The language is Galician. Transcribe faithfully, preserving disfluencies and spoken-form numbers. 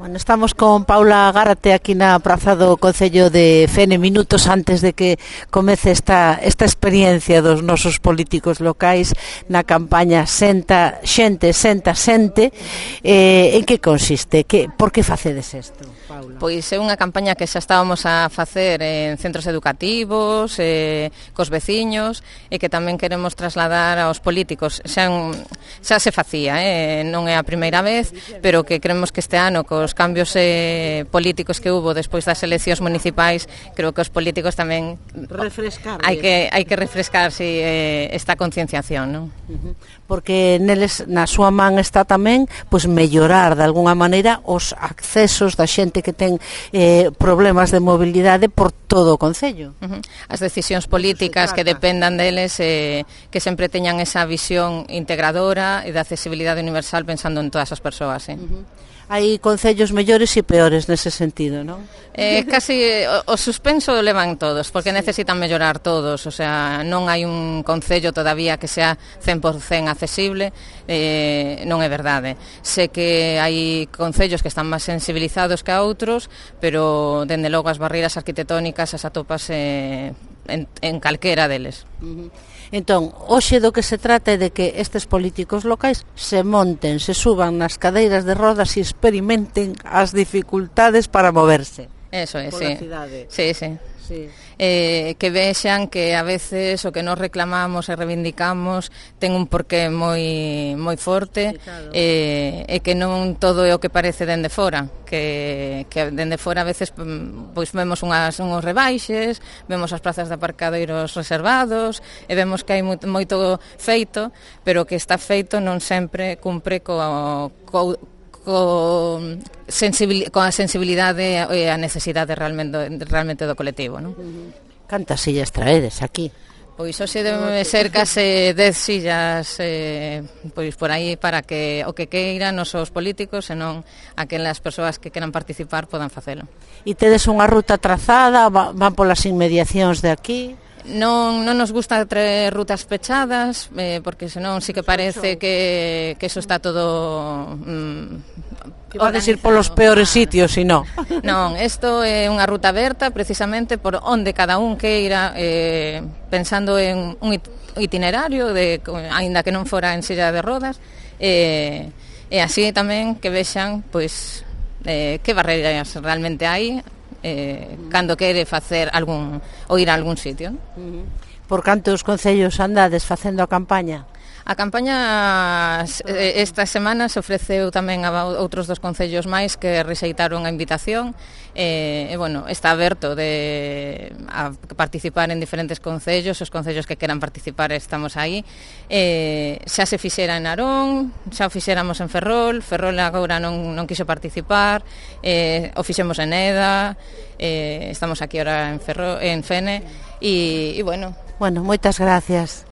Bueno, estamos con Paula Gárate aquí na praza do Concello de Fene, minutos antes de que comece esta, esta experiencia dos nosos políticos locais na campaña Senta Xente, Senta Xente. Eh, en que consiste? Que, por que facedes isto, Paula? Pois é unha campaña que xa estábamos a facer en centros educativos, eh, cos veciños, e que tamén queremos trasladar aos políticos. Xa, xa se facía, eh, non é a primeira vez, pero que creemos que este ano, cos cambios eh, políticos que hubo despois das eleccións municipais, creo que os políticos tamén refrescar. Hai que hai que refrescar si, eh, esta concienciación, non? Uh-huh. Porque neles na súa man está tamén pois mellorar de algunha maneira os accesos da xente que ten eh, problemas de mobilidade por todo o concello. Uh-huh. As decisións políticas que dependan deles, eh, que sempre teñan esa visión integradora e de accesibilidade universal pensando en todas as persoas, eh. Uh-huh. Hai concellos mellores e peores nese sentido, non? Eh, casi o, o suspenso levan todos, porque sí. Necesitan mellorar todos, o sea, non hai un concello todavía que sea cen por cen accesible, eh, non é verdade. Sé que hai concellos que están máis sensibilizados que a outros, pero dende logo as barreiras arquitectónicas as atopas eh, en, en calquera deles. Uh-huh. Entón, hoxe do que se trata é de que estes políticos locais se monten, se suban nas cadeiras de rodas e experimenten as dificultades para moverse. Eso é, sí. Sí, sí. Sí. Eh, que vexan que a veces o que nos reclamamos e reivindicamos ten un porqué moi moi forte, sí, claro. eh, e que non todo é o que parece dende fora, que, que dende fora a veces pois vemos unhas, unhos rebaixes, vemos as plazas de aparcadeiros reservados e vemos que hai moito feito, pero que está feito non sempre cumpre co, co co sensibil, coa sensibilidade e a necesidade realmente, realmente do colectivo, non? Cantas sillas traedes aquí? Pois hoxe debe ser case dez sillas eh, pois por aí para que o que queiran os os políticos e non aquelas persoas que queran participar podan facelo. E tedes unha ruta trazada, van polas inmediacións de aquí? Non, non nos gusta traer rutas pechadas, eh, porque senón sí que parece que, que eso está todo mm, que vades ir polos peores sitios, si non. Non, isto é unha ruta aberta precisamente por onde cada un queira, eh, pensando en un itinerario de, aínda que non fora en silla de rodas, eh, e así tamén que vexan pois eh, que barreiras realmente hai eh, cando quere facer algún ou ir a algún sitio, non? Uh-huh. Por cantos concellos andades facendo a campaña? A campaña eh, esta semana se ofreceu tamén a outros dos concellos máis que rexeitaron a invitación e, eh, bueno, está aberto de a participar en diferentes concellos, os concellos que queran participar estamos aí. Eh, xa se fixera en Narón, xa o fixéramos en Ferrol, Ferrol agora non, non quixo participar, eh, o fixemos en Eda, eh, estamos aquí ahora en, Ferrol, en Fene e, e bueno. Bueno, moitas gracias.